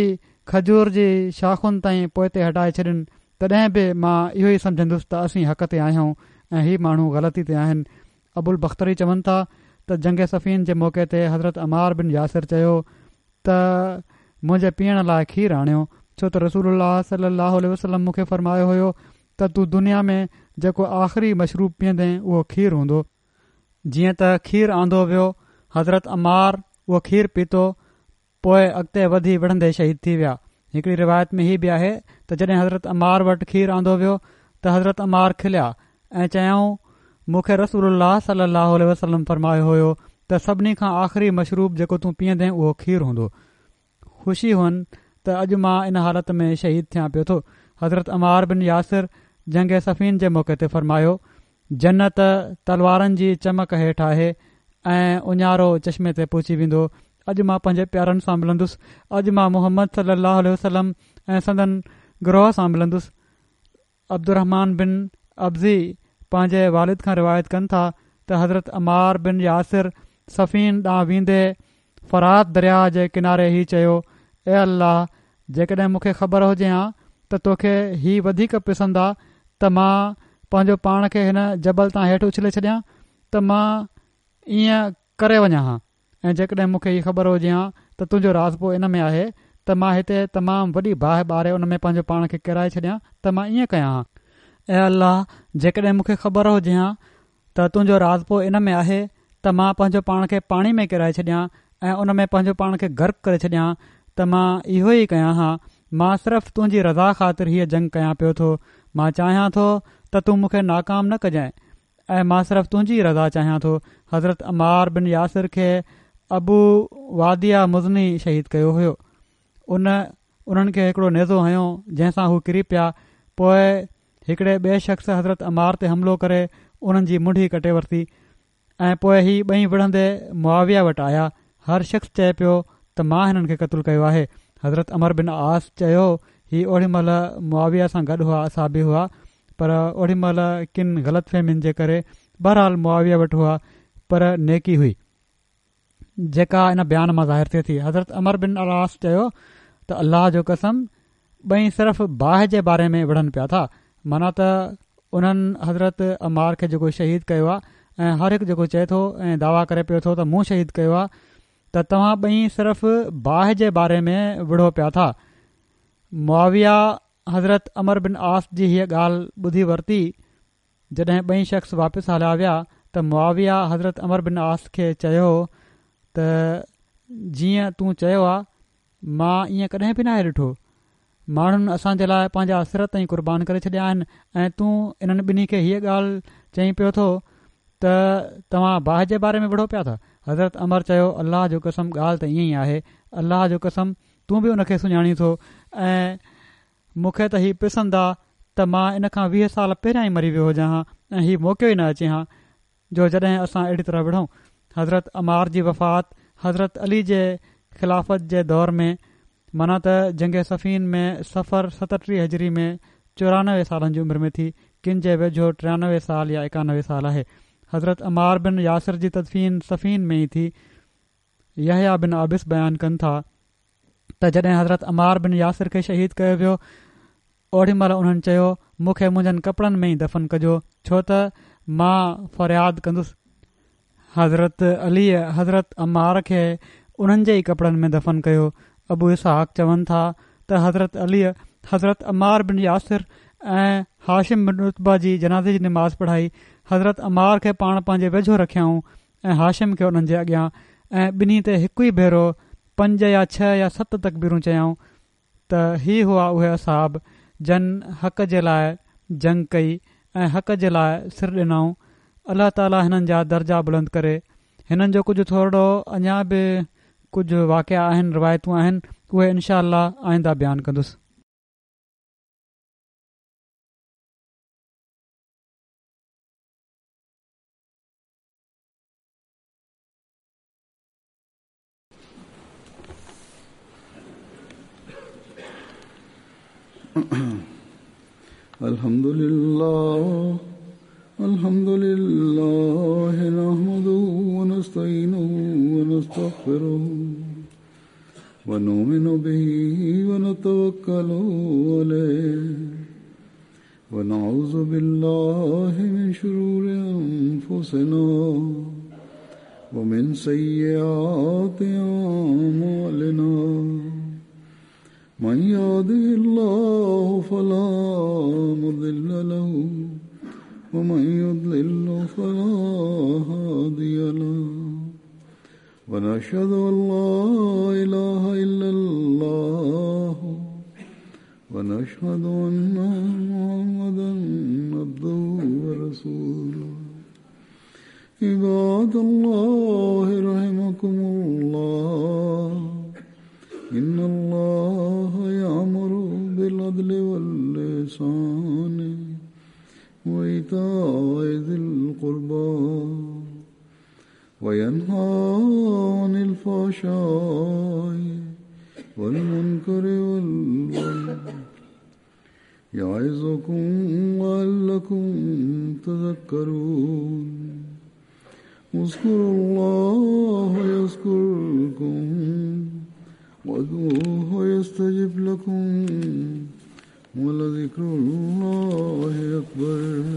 کجور جي شاخن تائين پوئتي هٽائي ڇڏين، تڏهن به مان اهو ئي سمجهندس ته اسين حق تي آهيون ۽ هي ماڻهو غلطي تي آهن. ابوالبختري چون ٿا ته جنگ صفين جي موقعي تي حضرت عمار بن ياسر چيو ته منهنجي پيئڻ لاء کير آڻيو، ڇو ته رسول الله صلي الله عليه وسلم مون کي فرمايو هيو ته تون دنيا ۾ جيڪو آخري مشروب پيئندين اهو کير هوندو. جيئن ته کير آندو ويو، حضرت عمار اهو کير پيتو، پوء اڳتي وڌي وڙهندي شهيد ٿي ويا. هڪڙي روايت ۾ هي به آهي ته جڏهن حضرت عمار وٽ کير آندو ويو ته حضرت عمار کليا ۽ چيائون، مون کي رسول الله صلي الله عليه وسلم فرمايو هيو ته سڀني کان آخري مشروب جيڪو تون پيئندين اهو کير هوندو. خوشي هئن ته اڄ مان ان حالت ۾ شهيد ٿيان پيو ٿو. حضرت عمار بن ياسر جنگ صفين جي موقعي تي فرمايو، جنت تلوارن جي چمڪ هيٺ آهي ۽ اڃارو چشمي تي پهچي ويندو. اڄ مان پنهنجي پيارن سان ملندس. اڄ مان محمد صلي الله عليه وسلم ۽ سندن گروهه سان ملندس. عبدالرحمان بن عبزي پنهنجي والد کان روايت ڪن ٿا ته حضرت عمار بن ياسر صفين ڏانهن ويندي فرات درياهه جي ڪناري هي چيو، اي الله! جيڪڏهن مون کي خبر هجي هان ته توکي هي وڌيڪ پسند آ ته مان پنهنجو پاڻ کي هن جبل تان هيٺ اڇلي ڇڏيان ته مان ائين ڪري وڃان ها. ۽ جيڪڏهن مون کي هي خبر هجي ها ته تنهنجو راضپو ان ۾ آهي ته مان هتي تمام وڏي باهه ٻاري ان ۾ پنهنجو پاڻ کي ڪيرائي ڇڏيان ته مان ائين ڪيان ها. اي الله! جيڪڏهن مون کي خبر هجي ها ته تنهنجو راضپو ان ۾ آهي ته مان پنهنجو پاڻ کي پاڻي ۾ ڪيرائي ڇڏيان ۽ ان ۾ پنهنجو پاڻ کي غرق ڪري ڇڏيان ته مان اهو ئي ڪيان ها. مان صرف تنهنجي رضا خاطر هيء جنگ ڪيان پيو ٿو. مان چاهيان ٿو ته تون مون کي ناڪام نه ڪجانء. ۽ مان صرف تنهنجي ئي رضا چاهيان ٿو. حضرت عمار بن ياسر کي ابو واديعه مزني شهيد ڪيو هيو. ان انهن کي هڪڙو نيزو هنيو جنهن سان هو ڪري پيا. پوء هڪڙي ٻئي شخص حضرت عمار تي حملو ڪري انهن جي منڍي ڪٽي ورتي ۽ پوء هي ٻئي وڙهندي معاويه وٽ آيا. هر شخص چئي پيو ته مان هنن کي قتل ڪيو آهي. حضرت عمرو بن عاص چيو هي اوڏي مهل معاويه سان گڏ هئا اصحابي هئا پر اوڏي مهل ڪن غلط فهمين جي ڪري بهرحال معاويه وٽ هئا پر نيڪي هئي جيڪا ان بيان مان ظاهر ٿئي ٿي حضرت عمرو بن العاص چيو ته الله جو قسم ٻئي صرف باهه جي باري ۾ وڙهن پيا ٿا معنيٰ ته انهن حضرت عمار کي جيڪو شهيد ڪيو آهي ۽ هر هڪ جيڪو چئي ٿو ۽ دعويٰ ڪري پيو ٿو ته مون شهيد ڪيو آهي ته توهان ٻئي صرف باهه جي باري ۾ وڙهو پيا ٿا معاويه حضرت عمرو بن عاص جي هيء ڳالهه ٻڌي ورتي، جڏهن ٻئي شخص واپس هليا ويا ته معاويه حضرت عمرو بن عاص کي چيو ته جيئن تون چيو آ مان ائين ڪڏهن به ناهي ڏٺو، ماڻهن اسان جي لاء پنهنجا سر تائين قربان ڪري ڇڏيا آهن ۽ تون انهن ٻنهي کي هيء ڳالهه چئين پيو ٿو ته توهان باهه جي باري ۾ وڙهو پيا ٿا؟ حضرت عمرو چيو الله جو قسم ڳالهه ته ائين ئي آهي، الله جو قسم تون به ان کي سڃاڻين ٿو ۽ مون کي ته هي پسند آ ته مان ان کان 20 سال پهريان ئي مري ويو هجان ها ۽ هي موقعو ئي نه اچي ها جو جڏهن اسان اهڙي طرح وڙهون. حضرت عمار جي وفات حضرت علي جي خلافت جي دور ۾ معنيٰ ته جنگ صفين ۾ صفر 37 هجري ۾ 94 سالن جي عمر ۾ ٿي، ڪن جي ويجهو 93 سال يا 91 سال آهي. حضرت عمار بن ياسر جي تدفين صفين ۾ ئي ٿي. يحيٰ بن عابس بيان ڪن ٿا ته جڏهن حضرت عمار بن ياسر کي شهيد ڪيو ويو. اوڏي مهل انهن چيو، مون کي منهنجن ڪپڙن ۾ ئي دفن ڪجو، ڇو ته مان فرياد ڪندس. حضرت عليء حضرت عمار کي انهن جي ئي ڪپڙن ۾ دفن ڪيو. ابو اسحاق چون ٿا ته حضرت عليء حضرت عمار بن ياسر ۽ هاشم بن عتبه جي جنازي جي نماز پڙهائي. حضرت عمار کي پاڻ پنهنجي ويجهو رکيائون ۽ هاشم کي انهن جي اڳيان ۽ ٻنهي تي هڪ ئي ڀيرو پنج يا ڇهه يا ست تڪبيرون چيائون. ته هي هئا اهي اصحاب جن حق جي لاء جنگ ڪئي ۽ حق جي لاء سر ڏنائون الله تعالي هنن جا درجا بلند ڪري هنن جو ڪجهه ٿورڙو اڃا به ڪجهه واقعا آهن روايتون آهن اهي انشاء الله آئنده بيان ڪندس. الحمد لله الحمد لله نحمده ونستعينه ونستغفره ونؤمن به ونتوكل عليه ونعوذ بالله من شرور أنفسنا ومن سيئات أعمالنا من يهده الله فلا مضل له ومن يضلل فلا هادي له ونشهد أن لا إله إلا الله ونشهد أن محمدا عبده ورسوله عباد الله رحمكم الله إن الله يأمر بالعدل واللسان وإيتاء ذي القربى وينهى عن الفحشاء والمنكر والبغي يعظكم لعلكم تذكرون اذكروا الله يذكركم وادعوه يستجب لكم ولذكر الله أكبر.